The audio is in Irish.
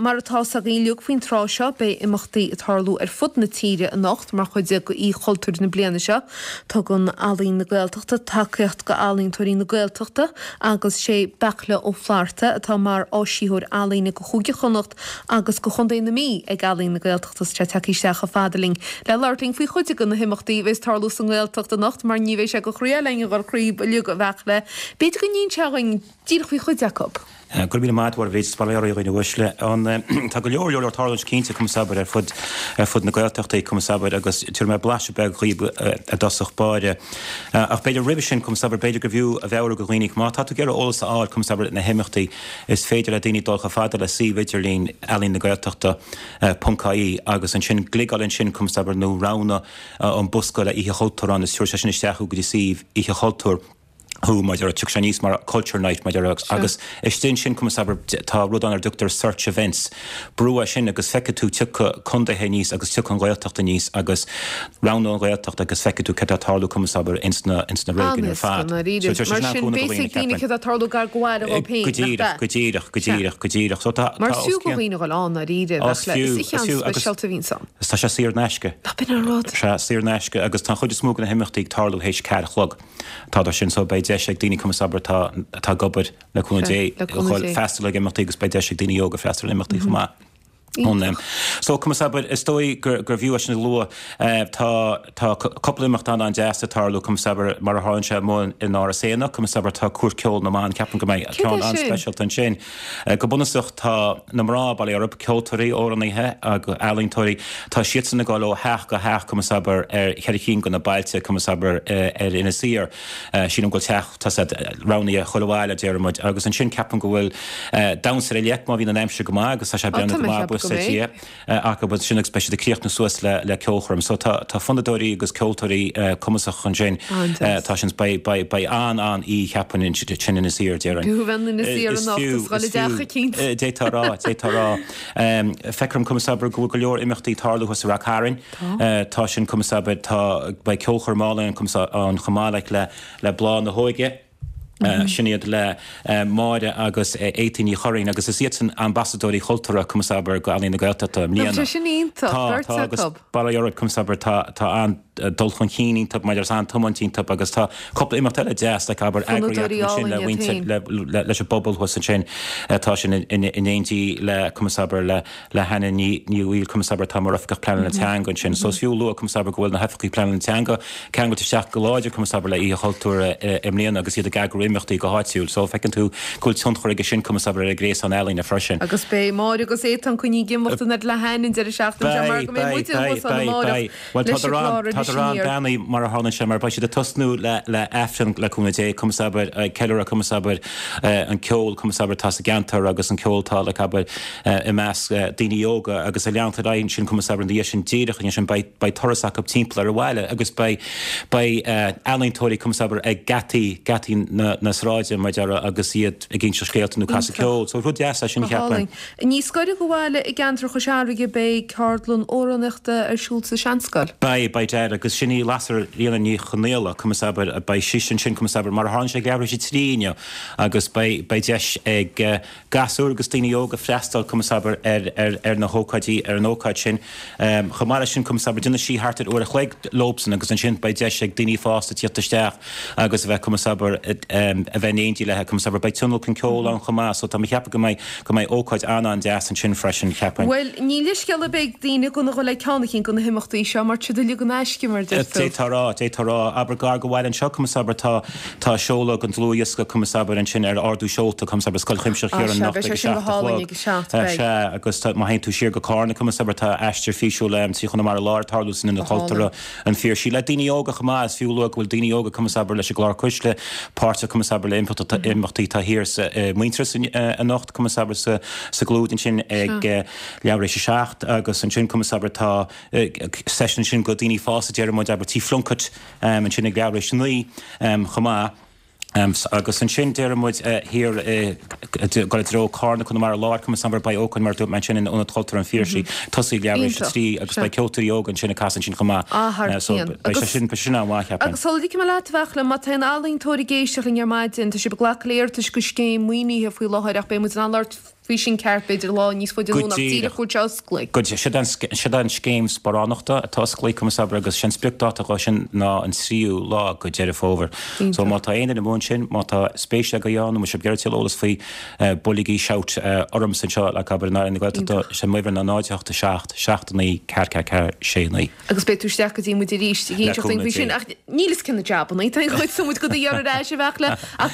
Mar atá 's againn uilig faoin tráth seo, beidh imeachtaí ag tarlú ar fud na tíre anocht mar chuid de Oíche Chultúir na bliana seo. Tugann Ealaín na Gaeltachta tacaíocht go ealaíontóirí na Gaeltachta agus sé Beartla Ó Flatharta atá mar áisitheoir ealaíne go Chúige Chonnacht agus go Chontae na Mí ag Ealaín na Gaeltachta. Tá sé tagtha isteach chomh fada linn le labhairt linn faoi chuid de na himeachtaí a bheas ag tarlú sa nGaeltacht anocht mar ní bheidh sé de chroí linn a dhul thríob uilig a Bheartla. B'fhéidir go n-inseofá dhuinn díreach faoi chuid acu. Go raibh míle maith agat, a Mhairéad, is bail ó Dhia oraibh a dhaoine uaisle. Tá go leor leor leor ag tarlúint cinnte, conas abair, ar fud ar fud na Gaeltachta, conas abair, agus tabharfaidh mé blaiseadh beag dhaoibh i dtosach báire. Ach b'fhéidir roimhe sin, conas abair, b'fhéidir gur bhfiú a mheabhrú do dhaoine, má tá tú ag iarraidh eolas a fháil, conas abair, na himeachtaí, is féidir le daoine dul chomh fada le suíomh idirlín Ealaín na Gaeltachta ponc ie agus ansin gliogáil ansin, conas abair, nó roghnaigh an bosca le Oíche Chultúir ann is tabharfaidh sé sin isteach thú go dtí suíomh Oíche Chultúir. thú, mar a déarfá, tiocfaidh sé aníos mar Culture Night, mar a déarfá, agus istigh ansin, conas abair, tá rud ann ar a dtugtar search events, brú air sin agus feicfidh tú tiocfaidh contaetha aníos agus tiocfaidh an Ghaeltacht aníos agus roghnóidh an Ghaeltacht agus feicfidh tú céard atá ag tarlú, conas abair, ins na, ins na réigiúin ar fad. An-éasca, ndáiríre. Mar sin, beidh a fhios ag daoine céard atá ag tarlú gar go bhaile dhóibh féin, Go díreach, go díreach, go díreach, go díreach. So tá, Mar is fiú do dhaoine a dhul ann, ndáiríre, Is fiú, is is fiú, agus. speisialta a bhíonns ann. Tá sé saor in aisce. Ná b'in an rud. Sea, saor in aisce agus tá an chuid is mó de na himeachtaí ag tarlú théis ceathair a chlog. Tá dar sin so beidh deis ag daoine conas abair atá atá ag obair le cúnamh Dé le cúnamh Dé. freastal ag imeachtaí agus beidh deis ag daoine óga freastal ar imeachtaí chomh maith. Iontach. So conas abair is dóigh gur gur bhfiú é sin a lua tá tá cúpla imeacht an an-deas ag tarlú conas abair mar a tharlaíonn sé amuigh in Áras Éanna conas abair tá Cúirt Ceoil na mBan ceapaim go mbeidh Céard ceann é sin? an-speisialta ansin. Go bunúsach tá na mná, bail ó Dhia orthu, ceoltóirí, amhránaithe agus ealaíontóirí, tá siadsan ag dul ó theach go theach, conas abair, ar cheithre cinn de na bailte, conas abair, ar Inis Oírr. Sílim go bhfuil teach, tá siad roghnaithe chuile bhaile, déarfaidh muid. Agus ansin ceapaim go bhfuil damhsa ar leic má bhíonn an aimsir go maith agus tá sé ag breathnú go maith, buíochas le Dia. acu ansin agus beidh siad ag críochnú suas le ceolchoirm. So tá tá fonnadóirí agus ceoltóirí cumasacha ansin. Tá sin beidh beidh beidh an an oíche cheapfainn ansin in Inis Oírr déarfainn. B'fhiú bheith in Inis Oírr anocht is dhul i dteach eicínt. D'fhéadfá a rá, d'fhéadfá a rá. Feictear dom conas abair go bhfuil go leor imeachtaí ag tarlú thuas i Rath Cairn. Tá sin conas abair tá beidh ceolchoirm álainn conas ann chomh maith le le Bláth na hÓige. Sin iad le Máire agus Étaín Ní Churraoin agus is iadsan ambasadóirí chultúrtha conas abair go Ealaín na Gaeltachta i mbliana. Tá sé sin iontach, Tá, beirt tá agus acu. bail ó Dhia orthu conas abair tá tá an-dul chun cinn iontu maidir is an-tiomáint iontu agus tá cúpla imeacht eile deas like abair eagraithe Fonnadóirí acu ansin le álainn iad mhuintir féin. le le leis an bpobal thuas ansin tá sin in in éindí le conas abair le le hAnna Ní Bhaoill, conas abair, atá mar Oifigeach Pleanála Teanga ansin. So is fiú a lua, conas abair, go bhfuil na hOifigigh Pleanála Teanga ceangailte isteach go láidir, conas abair, le Oíche Chultúir i mbliana agus iad ag eagrú imeachtaí go háitiúil. So feiceann tú go bhfuil tionchar aige sin, conas abair, ar an ghréasán ealaíne freisin. Agus beidh Máire agus Étáin coinnithe ag imeacht an fhad le hAnne an deireadh seachtaine seo mar Beidh, go mbeidh beidh, muide beidh, thuas ann beidh, amárach beidh. Bhuel, leis tá an gclár tá Iris arán Aniar. beannaithe mar a tharlaíonn sé, mar beidh siad ag tosnú le le Aifreann le cúnamh Dé, conas abair, ag ceiliúradh conas abair, an ceol, conas abair, atá sa gceantar agus an ceol atá like abair i measc daoine óga agus ag leanacht ar aghaidh ansin conas abair ina dhiaidh sin díreach ansin beidh beidh turas acu timpeall ar an bhaile agus beidh beidh ealaíontóirí conas abair ag geataí geataí na na sráide mar a déarfá agus iad ag inseacht scéalta nó casadh ceoil. So rud deas é sin Go cheapfainn. hálainn. Níos gaire do bhaile i gceantar Chois Fharraige beidh ceardlann amhránaíochta ar siúl sa Seanscoil. Beidh, beidh Dad agus sin í Lasairfhíona Ní Chonaola, conas abair, beidh sise ansin, conas abair, mar a tharlaíonn sé ag leathuair tar éis a 3 inniu agus beidh, beidh deis ag gasúir agus daoine óga freastal, conas abair, ar, ar, ar na hócáidí, ar an ócáid sin. Chomh maith leis sin, conas abair, déanfaidh sí thart ar uair a chloig leobsan agus ansin beidh deis ag daoine fásta tíocht isteach agus a bheith, conas abair, a bheith in éindí léi, conas abair, beidh tionlacan ceoil ann chomh maith so tá mé ag ceapadh go mbeidh, go mbeidh ócáid an-an-deas ansin freisin, cheapfainn. Bhuel, ní leithscéal ar bith ag daoine gan a dhul ag ceann eicínt de na himeachtaí seo mar tá siad uilig in aisce, mar a deir tú. D'fhéadfá a rá, d'fhéadfá a rá. Abair gar go bhaile anseo, conas abair, tá, tá seoladh den dlúthdhiosca, conas abair, ansin ar ardú seolta, conas abair, Scoil Chuimsitheach Á, Chiaráin sea, anocht beidh ag sé a sin go 7 a hálainn chlog. ag a 7, beidh. Sea, agus tá, má théann tú siar go Cárna, conas abair, tá aistear físiúil trí Chonamara Láir ag tarlú san Ionad Go hálainn. Cultúrtha. An Phiarsaigh. Le daoine óga chomh maith, is fiú a lua go bhfuil daoine óga conas abair leis an gclár Cuisle, páirteach conas abair le imeachtaí atá thiar sa Muintearas anocht, conas abair sa sa gClúid ansin ag leathuair tar éis a 7 agus ansin conas abair tá seisiún ansin go daoine fásta déarfaidh muid abair Tí Phlunkett ansin ag leathuair tar éis a 9 chomh maith. Agus ansin déarfaidh muid thiar ag dul i dtreo Carna, Conamara Láir, conas abair beidh ócáid mar a dúirt mé ansin in Ionad Cultúrtha an Phiarsaigh, tosaí ag leathuair tar éis a 3 agus beidh ceoltóirí óga ansin ag casadh ansin chomh maith. Ah, thar So cionn. beidh sé sin, beidh sé sin an-mhaith, cheapfainn. Agus sula ligfidh mé leat, a Bheartla, má tá aon ealaíontóir ag éisteacht linn ar maidin, tá sibh ag glacadh le iarratais go scéim maoinithe faoi láthair ach beidh muid in ann labhairt. faoi sin ceart, b'fhéidir lá níos faide anonn ach díreach go bhfuil sé osclaithe. Go díreach. Siod é an scéim sparánachta atá osclaithe, conas abair, agus sé an spriocdáta dhó sin ná an tríú lá go Deireadh Fómhair. So má tá aon duine amuigh ansin, má tá spéis agaibh ann nó má tá sibh ag iarraidh tuilleadh eolas faoi, buailigí shout ormsa anseo, like abair, in Aire na Gaeltachta, sé m'uimhir ná 0 8 7 7 9 4 4 4 6 9. Agus beidh tú isteach go dtí muid arís ag inseacht dúinn faoi sin, ach níl fhios cé na jabannaí, tá an chuid so muid go do iarraidh ar ais a bheadh le, ach.